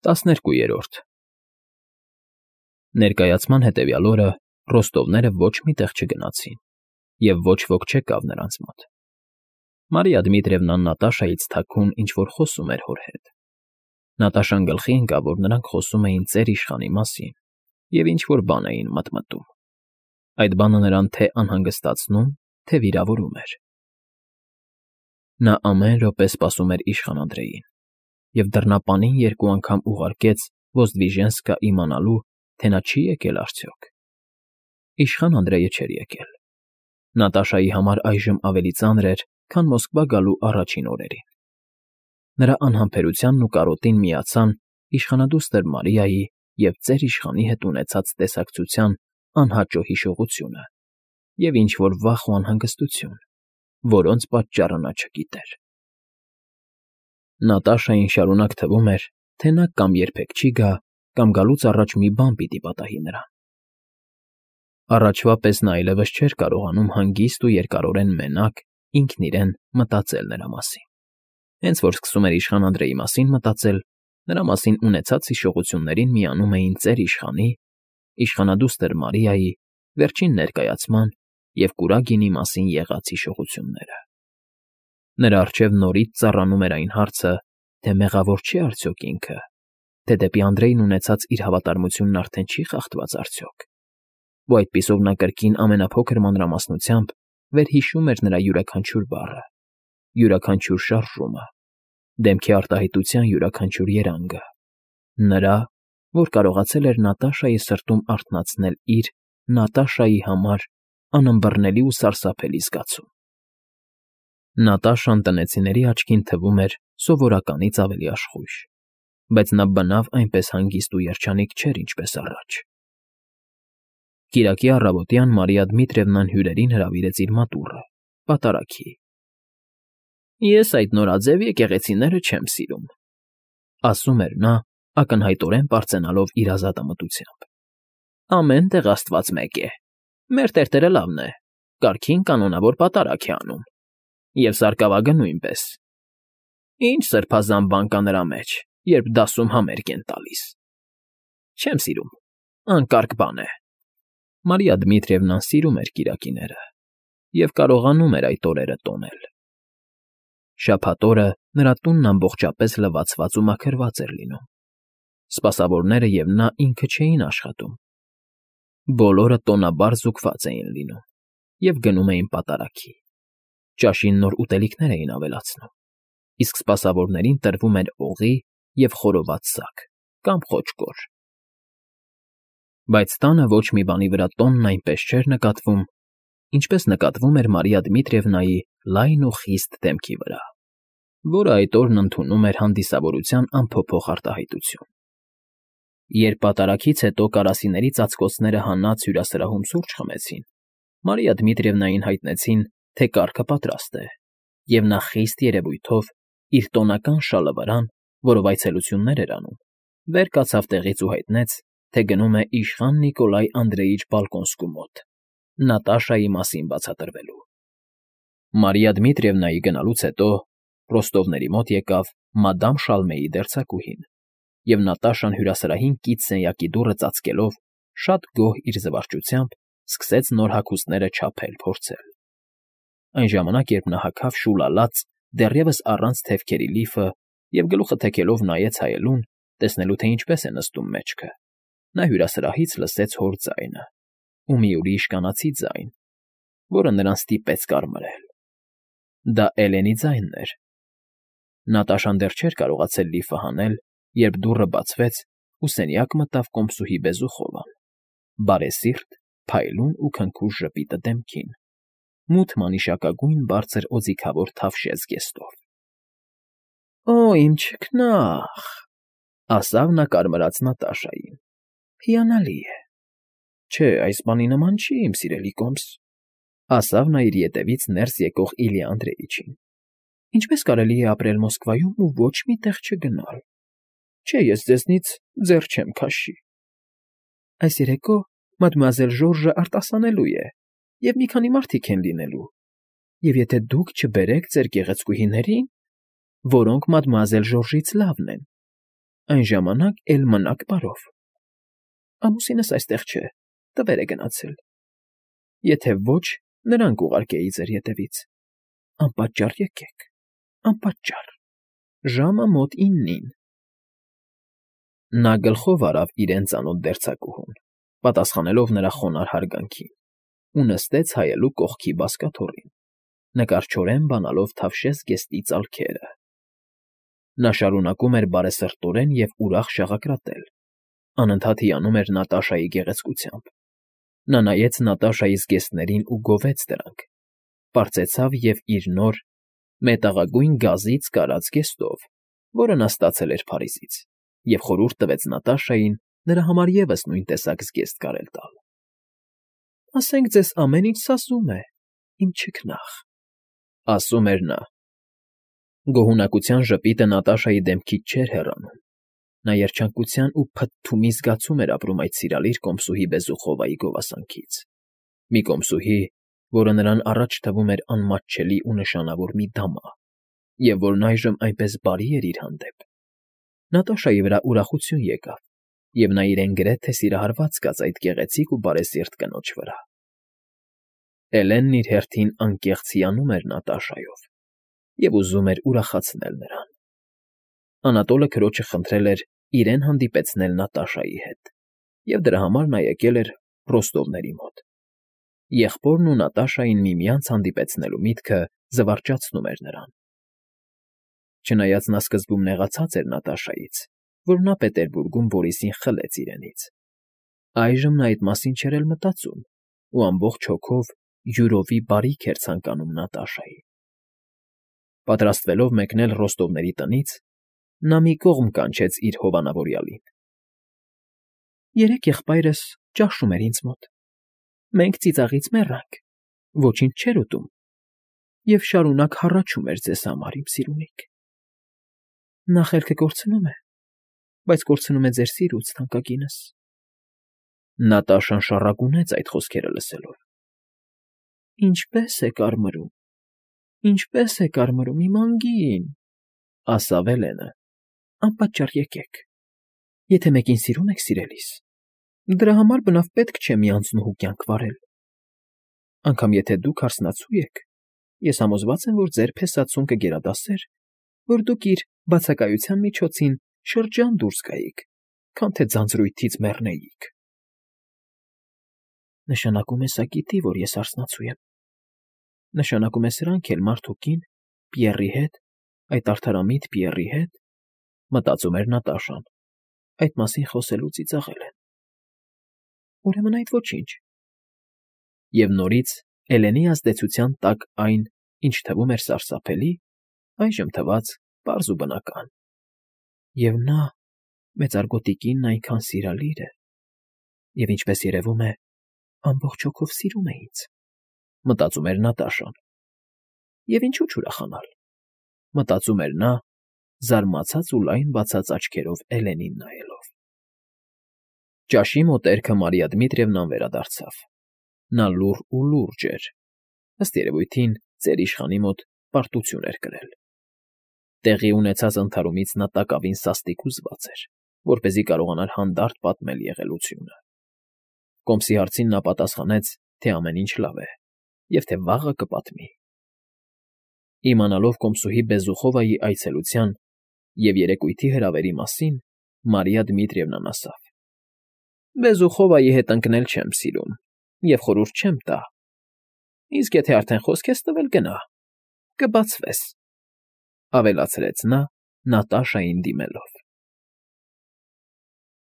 12-րդ Ներկայացման հետևյալ օրը ռոստովները ոչ մի տեղ չգնացին և ոչ ոք չեկավ նրանց մոտ. Մարիա Դմիտրիևնան Նատաշայից թաքուն ինչ֊որ խոսում էր հոր հետ. Նատաշան գլխի ընկավ, որ նրանք խոսում էին ծեր իշխանի մասին և ինչ֊որ բան էին մտմտում. այդ բանը նրան թե անհանգստացնում, թե վիրավորում էր. նա ամեն րոպե սպասում էր իշխան Անդրեյին և դռնապանին երկու անգամ ուղարկեց Ոզդվիժենսկա իմանալու, թե նա չի՞ եկել արդյոք. իշխան Անդրեյը չէր եկել. Նատաշայի համար այժմ ավելի ծանր էր, քան Մոսկվա գալու առաջին օրերին. նրա անհամբերությանն ու կարոտին միացան իշխանադուստր Մարիայի և ծեր իշխանի հետ ունեցած տեսակցության անհաճո հիշողությունը և ինչ֊որ վախ ու անհանգստություն, որոնց պատճառը նա չգիտեր. Նատաշային շարունակ թվում էր, թե նա կամ երբեք չի գա, կամ գալուց առաջ մի բան պիտի պատահի նրան. առաջվա պես նա այլևս չէր կարողանում հանգիստ ու երկարորեն մենակ, ինքն իրեն մտածել նրա մասին. հենց որ սկսում էր իշխան Անդրեյի մասին մտածել, նրա մասին ունեցած հիշողություններին միանում էին ծեր իշխանի, իշխանադուստր Մարիայի, վերջին ներկայացման և Կուրագինի մասին եղած հիշողությունները. նրա առջև նորից ծառանում էր այն հարցը, թե մեղավոր չէ՞ արդյոք ինքը, թե դեպի Անդրեյն ունեցած իր հավատարմությունն արդեն չի՞ խախտված արդյոք, ու այդպիսով նա կրկին ամենափոքր մանրամասնությամբ վերհիշում էր նրա յուրաքանչյուր բառը, յուրաքանչյուր շարժումը, դեմքի արտահայտության յուրաքանչյուր երանգը, նրա, որ կարողացել էր Նատաշայի սրտում արթնացնել իր Նատաշայի համար անըմբռնելի ու սարսափելի զգացում. Նատաշան տնեցիների աչքին թվում էր սովորականից ավելի աշխույժ, բայց նա բնավ այնպես հանգիստ ու երջանիկ չէր, ինչպես առաջ. Կիրակի առավոտյան Մարիա Դմիտրիևնան հյուրերին հրավիրեց իր մատուռը, պատարագի. «Ես այդ նորաձև եկեղեցիները չեմ սիրում», ասում էր նա, ակնհայտորեն պարծենալով իր ազատամտությամբ. «ամեն տեղ Աստված մեկ է, մեր տերտերը լավն է, կարգին կանոնավոր պատարագ է անում, և սարկավագը նույնպես. ինչ սրբազան բան կա նրա մեջ, երբ դասում համերգ են տալիս… Չեմ սիրում, անկարգ բան է»։ Մարիա Դմիտրիևնան սիրում էր կիրակիները և կարողանում էր այդ օրերը տոնել. շաբաթ օրը նրա տունն ամբողջապես լվացված ու մաքրված էր լինում, սպասավորները և նա ինքը չէին աշխատում, բոլորը տոնաբար զուգված էին լինում և գնում էին պատարագի, ճաշին նոր ուտելիքներ էին ավելացնում, իսկ սպասավորներին տրվում էր օղի և խորոված սակ կամ խոճկոր։ Բայց տանը ոչ մի բանի վրա տոնն այնպես չէր նկատվում, ինչպես նկատվում էր Մարիա Դմիտրիևնայի լայն ու խիստ դեմքի վրա, որը այդ օրն ընդունում էր հանդիսավորության անփոփոխ արտահայտություն։ Երբ պատարագից հետո կարասիների ծածկոցները հանած հյուրասրահում սուրճ խմեցին, Մարիա Դմիտրիևնային հայտնեցին, թե կարգը պատրաստ է, և նա խիստ երևույթով իր տոնական շալը վրան, որով այցելություններ էր անում, վեր կացավ տեղից ու հայտնեց, թե գնում է իշխան Նիկոլայ Անդրեյիչ Բալկոնսկու մոտ, Նատաշայի մասին բացատրվելու։ Մարիա Դմիտրիևնայի գնալուց հետո ռոստովների մոտ եկավ մադամ Շալմեի դերձակուհին, և Նատաշան հյուրասրահին կից սենյակի դուռը ծածկելով, շատ գոհ իր զվարճությամբ սկսեց նոր հագուստները չափել, փորձել։ Այն ժամանակ, երբ նա հագավ շուլալած, դեռևս առանց թևքերի լիֆը և գլուխը թեքելով նայեց հայելուն, տեսնելու, թե ինչպես է նստում մեջքը, նա հյուրասրահից լսեց հոր ձայնը ու մի ուրիշ կանացի ձայն, որը նրան ստիպեց կարմրել. դա Էլենի ձայնն էր։ Նատաշան դեռ չէր կարողացել լիֆը հանել, երբ դուռը բացվեց ու սենյակ մտավ կոմսուհի Բեզուխովան, բարեսիրտ, փայլուն ու քնքուշ ժպիտը դեմքին, մութ մանիշակագույն բարձր օձիքավոր թավշյա զգեստով։ «Օ՜, իմ չքնա՜ղ», ասավ նա կարմրած Նատաշային, «հիանալի է։ Չէ, այս բանի նման չի, իմ սիրելի կոմս», ասավ նա իր ետևից ներս եկող Իլյա Անդրեիչին։ «Ինչպես կարելի է ապրել Մոսկվայում ու ոչ մի տեղ չգնալ։ Չէ, ես ձեզնից ձեռ չեմ քաշի։ Այս երեկո մադմուազել Ժորժը արտասանելու է, և մի քանի մարդիկ են լինելու, և եթե դուք չբերեք ձեր գեղեցկուհիներին, որոնք մադմուազել Ժորժից լավն են, Այն ժամանակ էլ մնաք բարով։ Ամուսինս այստեղ չէ, տվեր է գնացել։ Եթե ոչ, նրան կուղարկեի ձեր ետևից։ Անպատճառ եկեք, անպատճառ։ Ժամը մոտ 9-ին։ Նա գլխով արավ իրեն ծանոթ դերձակուհուն, պատասխանելով նրա խոնարհ հարգանքին, ու նստեց հայելու կողքի բազկաթոռին, նկարչորեն բանալով թավշես զգեստի ծալքերը։ Նա շարունակում էր բարեսրտորեն և ուրախ շաղակրատել, անընդհատ հիանում էր Նատաշայի գեղեցկությամբ։ Նա նայեց Նատաշայի զգեստներին ու գովեց դրանք, պարծեցավ և իր նոր, մետաղագույն գազից կարած զգեստով, որը նա ստացել էր Փարիզից, և խորհուրդ տվեց Նատաշային նրա համար ևս նույն տեսակ զգեստ կարել տալ։ «Ասենք ձեզ ամեն ինչ սազում է, իմ չքնաղ», ասում էր նա։ Գոհունակության ժպիտը Նատաշայի դեմքից չէր հեռանում։ Նա երջանկության ու փթթումի զգացում էր ապրում այդ սիրալիր կոմսուհի Բեզուխովայի գովասանքից։ Մի կոմսուհի, որը նրան առաջ թվում էր անմատչելի ու նշանավոր մի դամա, և որն այժմ այնպես բարի էր իր հանդեպ։ Նատաշայի վրա ուրախություն եկավ, և նա իրեն գրեթե սիրահարված զգաց այդ գեղեցիկ ու բարեսիրտ կնոջ վրա։ Էլենն իր հերթին անկեղծ հիանում էր Նատաշայով և ուզում էր ուրախացնել նրան։ Անատոլը քրոջը խնդրել էր իրեն հանդիպեցնել Նատաշայի հետ, և դրա համար նա եկել էր Ռոստովների մոտ։ Եղբորն ու Նատաշային միմյանց հանդիպեցնելու միտքը զվարճացնում էր նրան։ Չնայած նա սկզբում նեղացած էր Նատաշայից, որ նա Պետերբուրգում Բորիսին խլեց իրենից, այժմ նա այդ մասին չէր էլ մտածում ու ամբողջ հոգով յուրովի բարիք էր ցանկանում Նատաշային։ Պատրաստվելով մեկնել Ռոստովների տնից, նա մի կողմ կանչեց իր հովանավորյալին։ «Երեկ եղբայրս ճաշում էր ինձ մոտ։ Մենք ծիծաղից մեռանք, ոչինչ չէր ուտում, և շարունակ հառաչում էր ձեզ համար, իմ սիրունիք։ Նա խելքը կորցնում է, բայց կորցնում է ձեր սիրուց, թանկագինս»։ Նատաշան շառակունեց այդ խոսքերը լսելով։ «Ինչպե՞ս է կարմրում, ինչպե՞ս է կարմրում, իմ անգին», ասավ Էլենը։ «Անպատճառ եկեք։ Եթե մեկին սիրում եք, սիրելիս, դրա համար բնավ պետք չէ մի անձնուհու կյանք վարել։ Անգամ եթե դուք հարսնացու եք, ես համոզված եմ, որ ձեր փեսացուն կգերադասեր, որ դուք իր բացակայության միջոցին շրջան դուրս գայիք, քան թե ձանձրույթից մեռնեիք»։ Նշանակում է սա գիտի, որ ես հարսնացու եմ։ Նշանակում է սրանք էլ մարդ ու կին, Պիեռի հետ, այդ արդարամիտ Պիեռի հետ, մտածում էր Նատաշան, այդ մասին խոսելու ծիծաղել են։ Ուրեմն այդ ոչինչ։ Եվ նորից Էլենի ազդեցության տակ այն, ինչ թվում էր սարսափելի, այժմ թվաց պարզ ու բնական։ Եվ նա, մեծարգոտի կինն այնքան սիրալիր է, և ինչպես երևում է, ամբողջ հոգով սիրում է ինձ, մտածում էր Նատաշան։ Եվ ինչու չուրախանալ, մտածում էր նա, զարմացած ու լայն բացած աչքերով Էլենին նայելով։ Ճաշի մոտերքը Մարիա Դմիտրիևնան վերադարձավ։ Նա լուռ ու լուրջ էր։ Ըստ երևույթին, ծեր իշխանի մոտ պարտություն էր կրել։ Տեղի ունեցած ընդհարումից նա տակավին սաստիկ հուզված էր, որպեսզի կարողանար հանդարտ պատմել եղելությունը։ Կոմսի հարցին նա պատասխանեց, թե ամեն ինչ լավ է, և թե վաղը կպատմի։ Իմանալով կոմսուհի Բեզուխովայի այցելության և երեկույթի հրավերի մասին, Մարիա Դմիտրիևնան ասավ. «Բեզուխովայի հետ ընկնել չեմ սիրում և խորհուրդ չեմ տա։ Իսկ եթե արդեն խոսք ես տվել, գնա, կբացվես», ավելացրեց նա Նատաշային դիմելով։